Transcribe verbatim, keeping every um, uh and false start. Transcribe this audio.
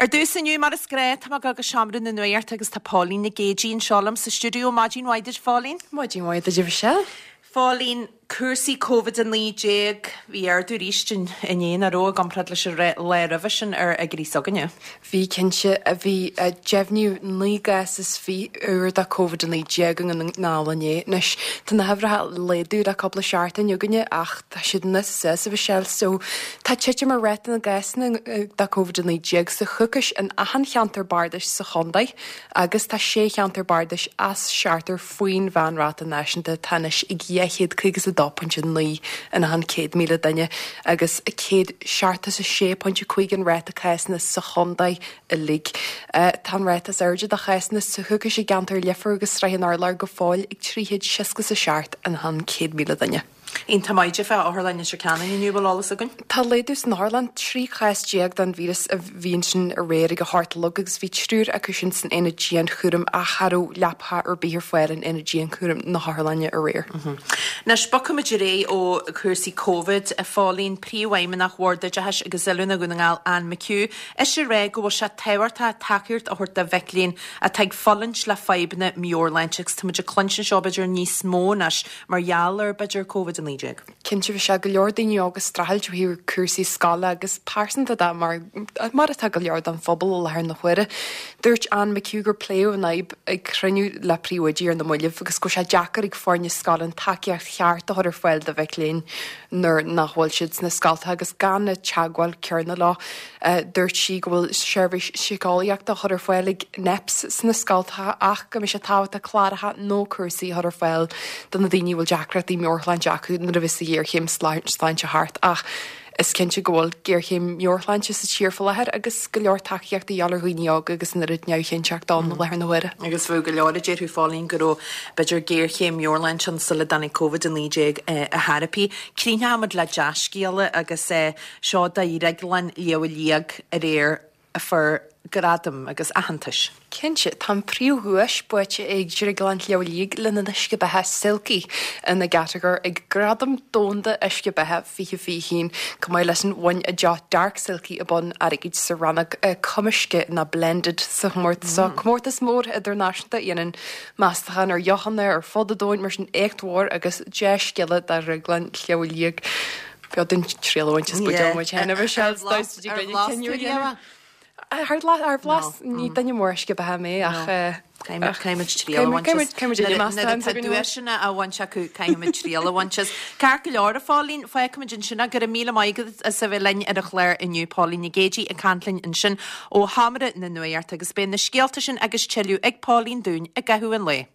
Ar dtús inniu mar is gnách tá mé ag dul go seomra na nuachta agus tá Pauline Nic Géidigh anseo liom sa stiúideo maidin mhaith duit Pauline. Maidin mhaith duit Michelle. Pauline cúrsaí COVID a naoi déag bhí ardú arís inné nach raibh i gcomparáid leis an lá roimhe sin ar fhigiúirí s'againne. Bhí cinnte a bhí deimhniú naoi gcás is fiche úr de COVID a naoi déag i nDún na nGall inné. Anois tá na huimhreacha ag laghdú le cúpla seachtain againne ach tá siad níos is a Michelle so tá titim ar ráta na gcásanna de COVID a naoi déag sa choicís in achan cheantar bardais sa chontae agus tá sé cheantar bardais as seachtar faoin mheánráta náisiúnta atá anois ag dhá chéad caoga is a dó pointe naoi in achan céad míle duine agus céad seachtó is a sé pointe cúig an ráta cásanna sa chontae uilig. Tá an ráta is airde de chásanna sa choicís i gceantar Leifear agus Sraith an Urláir go fóill ag trí chéad seasca is a seacht in achan céad míle duine. Iontach maith fá Otharlann Leitir Ceanainn inniu bhfuil eolas againn? Tá laghdú san otharlann trí chás déag den víreas a bhí ansin aréir ag a hocht a chlog agus bhí triúr acu sin san aonad dianchúraim ach cha raibh leapacha ar bith ar fáil in aonad dianchúraim na hotharlainne aréir. Anois bogfaimid ar aghaidh ó chúrsaí Covid a Phauline Príomhfheidhmeannach Bhord Oideachais agus Oiliúna Dhún na nGall Anne McHugh ise ag rá go bhfuil sé tábhachtach tacaíocht a thabhairt do mhic léinn atá ag fulaingt le fadhbanna meabhairshláinte agus táimid ag cluinstin seo b'fhéidir níos mó anois mar gheall ar b'fhéidir Covid a naoi déag. Cinnte bhí sé go leor daoine óga ag streachailt ó thaobh cúrsaí scoile agus pearsanta de mar mar atá go leor den phobal i láthair na huaire. Dúirt Anne McHugh gur pléadh an fhadhb ag cruinniú le príomhoidí ar na mallaibh agus go bhfuil sé deacair ag foirne scoile an tacaíocht cheart a chur ar fáil do mhic léinn nuair nach bhfuil siad sna scolta agus gan na teagmháil céanna leo. Dúirt sí go bhfuil seirbhís síceolaíochta a chur ar fáil ag NEPS sna scoltacha ach go mbeidh sé tábhachtach cláracha nó cúrsaí a chur ar fáil do na daoine a bhfuil deacrachtaí meabhairshláinte acu nuair a bheas an ghéarchéim sláinte thart ach is cinnte go bhfuil géarchéim meabhairshláinte sa tír faoi láthair agus go leor tacaíocht a dhíobháil ar dhaoine óga agus an oiread neamhchinnteacht ann i láthair na huaire. Agus bhí go leor a déarfadh Pauline go raibh b'fhéidir géarchéim meabhairshláinte ann sula dtáinig Covid a naoi déag a therapy. Críochnóimid le dea-scéala agus seo do Dhrioglann Shliabh Liag aréir a fuair gradam agus aitheantas. Cinnte, tá an príomhdhuais buaite ag Drioglann Shliabh Liag lena n-uisce beatha Silky ina gcatagóir ag Gradam Domhanda Uisce Beatha fiche fiche haon, chomh maith leis an bhain a deoch Dark Silky a bonn airgid sa rannóg cumaisce ná blended sa chomórtas seo. Comórtas mór idirnáisiúnta a dhéanann meastachán ar dheochanna ar fud an domhain mar sin éacht mhór agus dea-scéala do Dhrioglann Shliabh Liag. B'fhéidir dúinn triail a bhaint as buidéal muid féin, a Mhichelle, is dóigh go dtí go cinneadh a dhéanamh. Ar ar bhlas ní duine mór uisce beatha mé ach Caithfimid triail a bhaint as. Nuair atá duaiseanna á bhaint acu caithfimid triail a bhaint as. Ceart go leor a Phauline, fágfaimid ansin go raibh míle maith agat as a bheith linn ar an chlár inniu Pauline Nic Géidigh ag caint linn ansin ó Sheomra na Nuachta agus beidh na scéalta sin agus tuilleadh ag Pauline dúinn i gcaitheamh an lae.